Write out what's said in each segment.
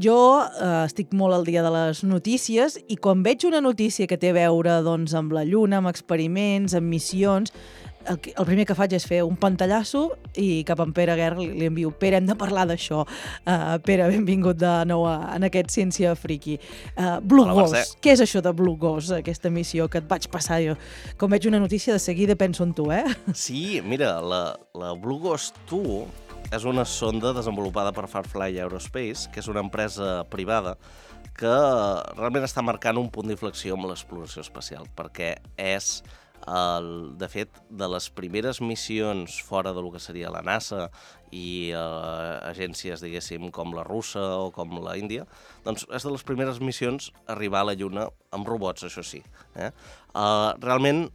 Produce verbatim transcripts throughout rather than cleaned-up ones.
jo eh, estic molt al dia de les notícies i quan veig una notícia que té a veure doncs, amb la Lluna, amb experiments, amb missions, el, que- el primer que faig és fer un pantallasso i cap a en Pere Guerra li, li envio Pere, hem de parlar d'això. Uh, Pere, benvingut de nou a, en aquest Ciència Friki. Uh, Blue Hola, Mercè. Ghost, què és això de Blue Ghost, aquesta missió que et vaig passar jo? Com veig una notícia, de seguida penso en tu, eh? Sí, mira, la, la Blue Ghost dos és una sonda desenvolupada per Farfly Aerospace, que és una empresa privada que realment està marcant un punt d'inflexió amb l'exploració espacial, perquè és, el, de fet, de les primeres missions fora del que seria la NASA i eh, agències, diguéssim, com la russa o com la Índia, doncs és de les primeres missions a arribar a la Lluna amb robots, això sí. Eh? Uh, realment,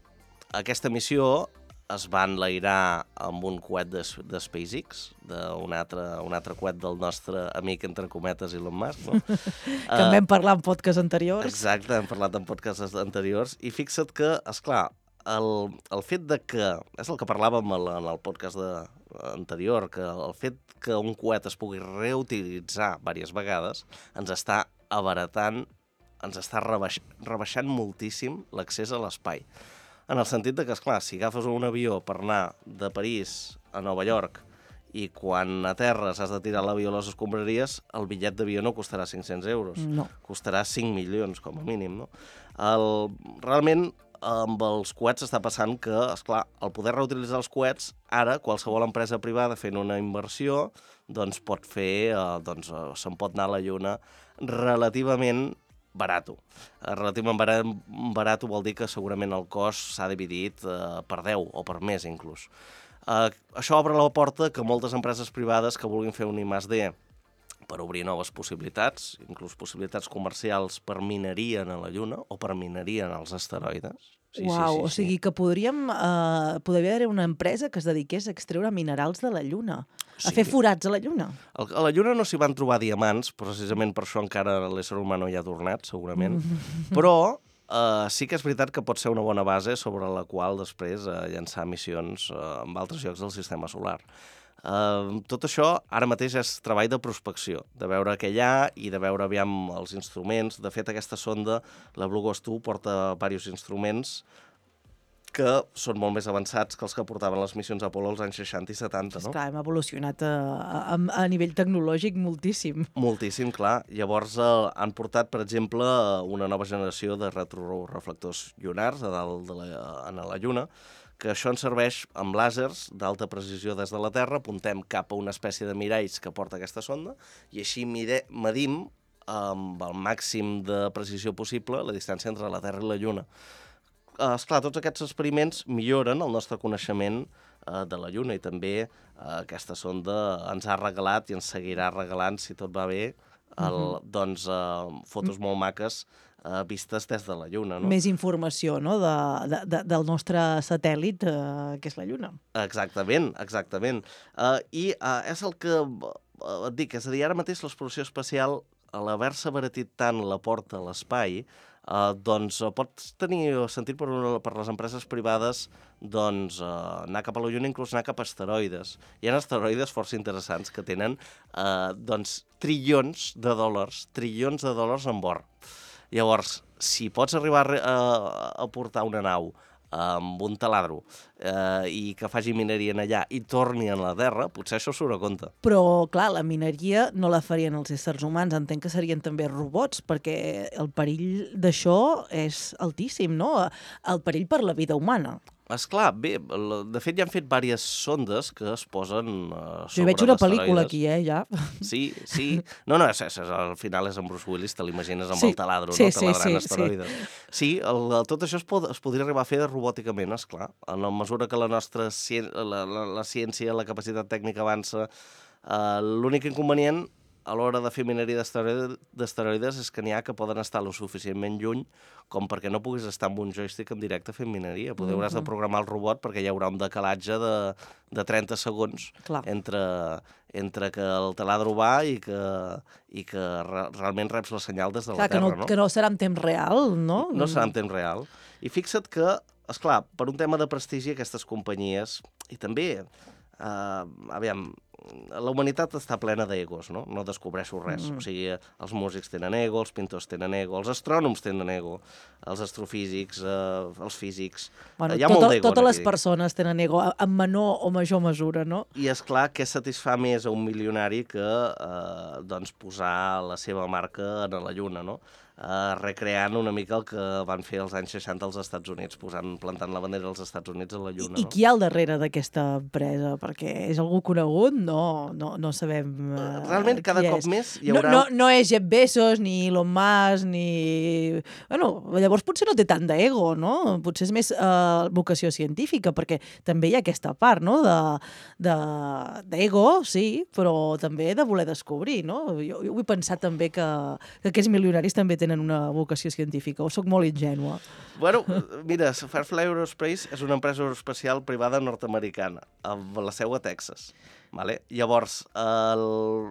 aquesta missió es va enlairar amb un coet de, de SpaceX, d'un altre, un altre coet del nostre amic, entre cometes, Elon Musk. No? que en vam parlar en podcast anteriors. Exacte, hem parlat en podcasts anteriors. I fixa't que, esclar, el, el fet de que, és el que parlàvem en el podcast de, anterior, que el fet que un coet es pugui reutilitzar diverses vegades ens està abaratant, ens està rebaix, rebaixant moltíssim l'accés a l'espai. En el sentit de que, esclar, si agafes un avió per anar de París a Nova York i quan aterres has de tirar l'avió a les escombraries, el bitllet d'avió no costarà cinc-cents euros. No. Costarà cinc milions, com a mínim, no? El, realment, amb els coets està passant que, esclar, el poder reutilitzar els coets, ara qualsevol empresa privada fent una inversió doncs pot fer, eh, doncs se'n pot anar a la Lluna relativament barato. Relativament barat, barato vol dir que segurament el cost s'ha dividit eh, per deu o per més, inclús. Eh, això obre la porta que moltes empreses privades que vulguin fer un I més D per obrir noves possibilitats, inclús possibilitats comercials per mineria a la Lluna o per mineria als asteroides. Sí, Uau, sí, sí, o sí. sigui que podríem, eh, podria haver una empresa que es dediqués a extreure minerals de la Lluna, a Sí. fer forats a la Lluna. El, a la Lluna no s'hi van trobar diamants, precisament per això encara l'ésser humà no hi ha tornat, segurament, però eh, sí que és veritat que pot ser una bona base sobre la qual després eh, llançar missions eh, en altres llocs del sistema solar. Uh, tot això ara mateix és treball de prospecció, de veure què hi ha i de veure aviam els instruments. De fet, aquesta sonda, la Blue Ghost dos, porta diversos instruments que són molt més avançats que els que portaven les missions Apollo als anys seixanta i setanta, no? Esclar, hem evolucionat a, a, a nivell tecnològic moltíssim. Moltíssim, clar. Llavors eh, han portat, per exemple, una nova generació de retroreflectors llunars a dalt de la, a la Lluna, que això ens serveix amb làsers d'alta precisió des de la Terra, apuntem cap a una espècie de miralls que porta aquesta sonda, i així mide, medim amb el màxim de precisió possible la distància entre la Terra i la Lluna. Eh, esclar, tots aquests experiments milloren el nostre coneixement eh, de la Lluna i també eh, aquesta sonda ens ha regalat i ens seguirà regalant, si tot va bé, el, uh-huh. doncs, eh, fotos molt maques eh, vistes des de la Lluna. No? Més informació, no?, de, de, de, del nostre satèl·lit, eh, que és la Lluna. Exactament, exactament. Uh, I uh, és el que uh, et dic, és a dir, ara mateix l'exploració espacial, a l'haver-se abaratit tant la porta a l'espai, uh, doncs uh, pot tenir sentit per, una, per les empreses privades doncs, uh, anar cap a la Lluna, inclús anar cap a asteroides. Hi ha asteroides força interessants que tenen uh, doncs, trilions de dòlars, trilions de dòlars en bord. Llavors, si pots arribar a, a portar una nau amb un taladro eh, i que faci mineria en allà i torni a la Terra, potser això surt a compte. Però, clar, la mineria no la farien els éssers humans, entenc que serien també robots, perquè el perill d'això és altíssim, no? El perill per la vida humana. Esclar, bé, de fet ja han fet diverses sondes que es posen uh, sobre Jo veig una d'asteroides. pel·lícula aquí, eh, ja. Sí, sí. No, no, és, és, al final és en Bruce Willis, te l'imagines amb Sí, el taladro, sí, no? Taladrant sí, sí, asteroides. Sí, sí el, el, tot això es, pod, es podria arribar a fer robòticament, esclar. En la mesura que la nostra ciència, la, la, la ciència, la capacitat tècnica avança, uh, l'únic inconvenient a l'hora de fer mineria d'asteroides és que n'hi ha que poden estar lo suficientment lluny com perquè no puguis estar amb un joystick en directe fent mineria. Poder hauràs de programar el robot perquè hi haurà un decalatge de, de trenta segons entre, entre que el taladro va i que, i que re, realment reps la senyal des de Clar, la Terra. Que no, no? que no serà en temps real, no? No serà en temps real. I fixa't que, esclar, per un tema de prestigi aquestes companyies, i també, eh, aviam, la humanitat està plena d'egos, no? No descobreixo res. Mm. O sigui, els músics tenen ego, els pintors tenen ego, els astrònoms tenen ego, els astrofísics, eh, els físics... Bueno, Hi ha tot, molt d'ego. Totes les persones tenen ego, en menor o major mesura, no? I és clar que satisfà més a un milionari que eh, doncs posar la seva marca a la Lluna, no? Uh, recreant una mica el que van fer als anys seixanta als Estats Units, posant, plantant la bandera dels Estats Units a la Lluna. I, i no? qui hi ha al darrere d'aquesta empresa? Perquè és algú conegut? No, no, no sabem uh, Realment, cada cop és. més hi haurà... No, no, no és Jeff Bezos, ni Elon Musk, ni... Bueno, llavors potser no té tant d'ego, no? Potser és més uh, vocació científica, perquè també hi ha aquesta part, no?, de d'ego, sí, però també de voler descobrir, no? Jo, jo vull pensar també que, que aquests milionaris també tenen una vocació científica, o sóc molt ingènua? Bueno, mira, Firefly Aerospace és una empresa aeroespacial privada nord-americana, amb la seu a Texas. Vale? Llavors, el...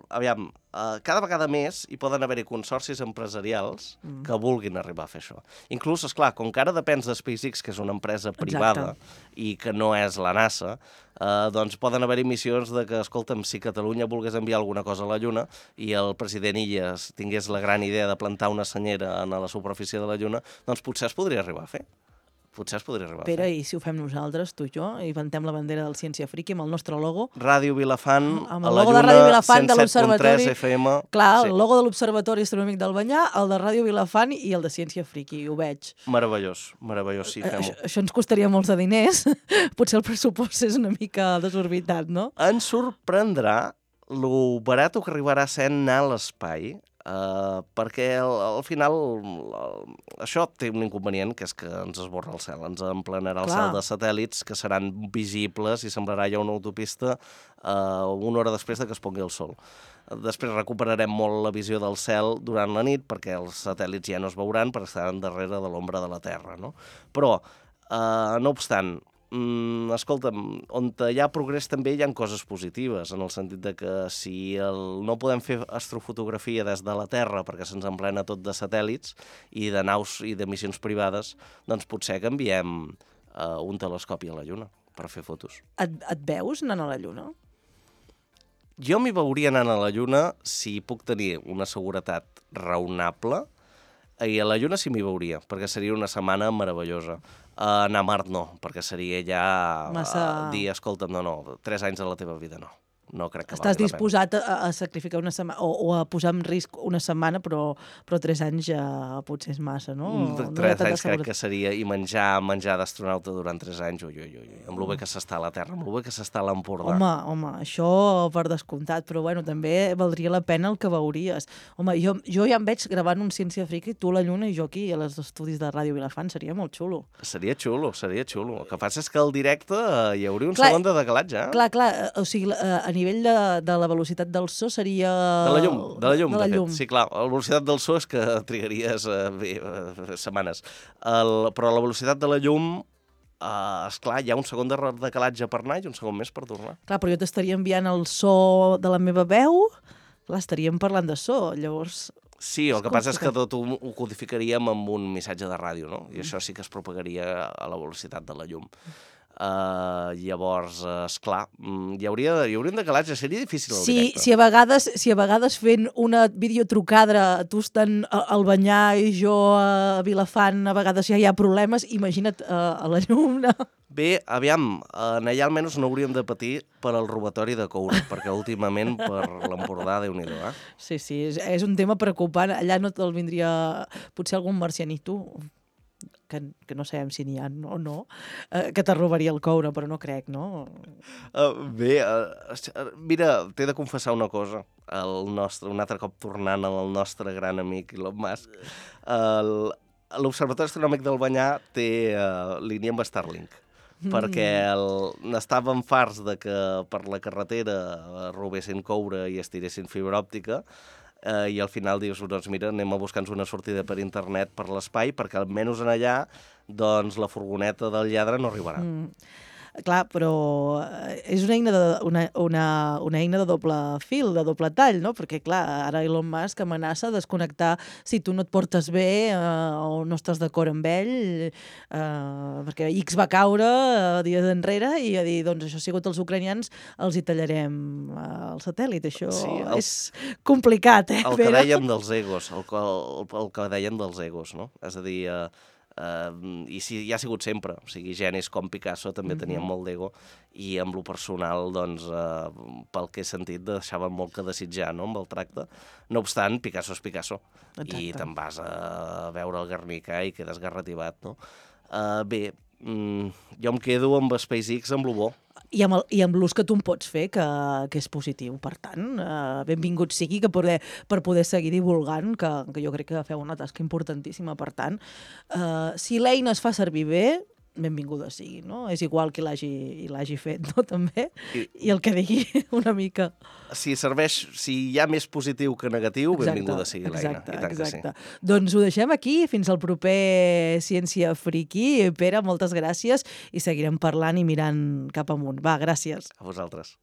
aviam, uh, cada vegada més hi poden haver-hi consorcis empresarials mm. que vulguin arribar a fer això. Inclús, esclar, com que ara depens de SpaceX, que és una empresa privada, exacte, i que no és la NASA, uh, doncs poden haver-hi missions de que, escolta'm, si Catalunya volgués enviar alguna cosa a la Lluna i el president Illes tingués la gran idea de plantar una senyera a la superfície de la Lluna, doncs potser es podria arribar a fer. Potser es podria arribar Pere, a fer. i si ho fem nosaltres, tu i jo, i inventem la bandera del Ciència Friki amb el nostre logo? Ràdio Vilafant, amb a el la logo de Lluna, Ràdio Vilafant de cent set punt tres l'Observatori. F M. Clar, sí. El logo de l'Observatori Astronòmic del Banyà, el de Ràdio Vilafant i el de Ciència Friki, ho veig. Meravellós, meravellós, sí, fem-ho. Això, això ens costaria molts de diners, potser el pressupost és una mica desorbitat, no? Ens sorprendrà lo barat que arribarà sent anar a l'espai, Uh, perquè al, al final el, això té un inconvenient, que és que ens esborra el cel, ens emplenarà el Clar. cel de satèl·lits que seran visibles i semblarà ja una autopista uh, una hora després de que es pongui el sol. Després recuperarem molt la visió del cel durant la nit, perquè els satèl·lits ja no es veuran perquè estaran darrere de l'ombra de la Terra, no? Però, uh, no obstant, Mm, escolta'm, on hi ha progrés també hi ha coses positives, en el sentit de que si el, no podem fer astrofotografia des de la Terra perquè se'ns emplena tot de satèl·lits i de naus i de missions privades, doncs potser que enviem uh, un telescopi a la Lluna per fer fotos. Et, et veus anant a la Lluna? Jo m'hi veuria anant a la Lluna si puc tenir una seguretat raonable, i a la Lluna sí m'hi veuria, perquè seria una setmana meravellosa. Uh, anar a Mart no, perquè seria ja Massa... uh, dir, escolta'm, no, no, tres anys de la teva vida no. No crec que Estàs valgui la pena. disposat a, a sacrificar una setmana, o, o a posar en risc una setmana, però, però tres anys ja potser és massa, no? Mm, no tres anys crec que seria, i menjar menjar d'astronauta durant tres anys, ui, ui, ui, amb lo bé que s'està a la Terra, amb lo bé que s'està a l'Empordà. Home, home, això per descomptat, però bueno, també valdria la pena el que veuries. Home, jo, jo ja em veig gravant un Ciència Friki, tu a la Lluna i jo aquí, a les estudis de Ràdio Vilafant, seria molt xulo. Seria xulo, seria xulo. El que passa és que al directe eh, hi hauria un clar, segon de decalatge, eh? Clar, clar, o sigui, a, a nivell de, de la velocitat del so seria... De la llum, de la llum, de, de, la fet. llum. Sí, clar, la velocitat del so és que trigaries eh, bé, eh, setmanes. El, però la velocitat de la llum, eh, esclar, hi ha un segon de decalatge per anar i un segon més per tornar. Clar, però jo t'estaria enviant el so de la meva veu, clar, estaríem parlant de so, llavors... Sí, el que passa és que tot ho, ho codificaríem amb un missatge de ràdio, no? I això sí que es propagaria a la velocitat de la llum. Uh, llavors, uh, esclar, hi hauria, hi hauria un decalatge, seria difícil el sí, directe. Si a, vegades, si a vegades fent una videotrucada, tu estan al Banyà i jo a Vilafant, a vegades ja hi ha problemes, imagina't uh, a la llum, no? Bé, aviam, en allà almenys no hauríem de patir per al robatori de coure, perquè últimament per l'Empordà, Déu-n'hi-do, eh? Sí, sí, és, és un tema preocupant. Allà no te'l vindria potser algun marcianito, que, que no sabem si n'hi ha o no, eh, que te robaria el coure, però no crec, no? Uh, bé, uh, mira, t'he de confessar una cosa, el nostre, un altre cop tornant al nostre gran amic Elon Musk. Uh, L'Observatori Astronòmic del Banyà té uh, línia amb Starlink, mm. perquè el, n'estàvem farts de que per la carretera robessin coure i estiressin fibra òptica, Uh, i al final dius, doncs mira, anem a buscar-nos una sortida per internet per l'espai, perquè almenys en allà doncs la furgoneta del lladre no arribarà. Mm. Clar, però és una eina, de, una, una, una eina de doble fil, de doble tall, no? Perquè, clar, ara Elon Musk amenaça desconnectar si tu no et portes bé eh, o no estàs d'acord amb ell, eh, perquè X va caure eh, dies enrere i a dir, doncs això ha sigut els ucranians, els hi tallarem eh, el satèl·lit. Això Sí, el- és complicat, eh, El que Pere? dèiem dels egos, el, que- el, el que dèiem dels egos, no? És a dir, eh, eh, i si, ja ha sigut sempre, o sigui, genis com Picasso també tenien molt d'ego i amb lo personal, doncs, eh, pel que he sentit, deixaven molt que desitjar, no?, amb el tracte. No obstant, Picasso és Picasso. Exacte. I te'n vas a veure el Guernica i quedes garrativat, no? Eh, bé, mm, jo em quedo amb SpaceX, amb lo bo. I amb, el, i amb l'ús que tu en pots fer, que, que és positiu. Per tant, eh, benvingut sigui que poder, per poder seguir divulgant, que, que jo crec que feu una tasca importantíssima. Per tant, eh, si l'eina es fa servir bé, benvinguda sigui, no? És igual qui l'hagi l'hagi fet, no?, també, I, i el que digui una mica. Si serveix, si hi ha més positiu que negatiu, benvinguda sigui l'eina. Exacte, I tant que exacte. sí. Doncs ho deixem aquí, fins al proper Ciència Friki. Pere, moltes gràcies, i seguirem parlant i mirant cap amunt. Va, gràcies. A vosaltres.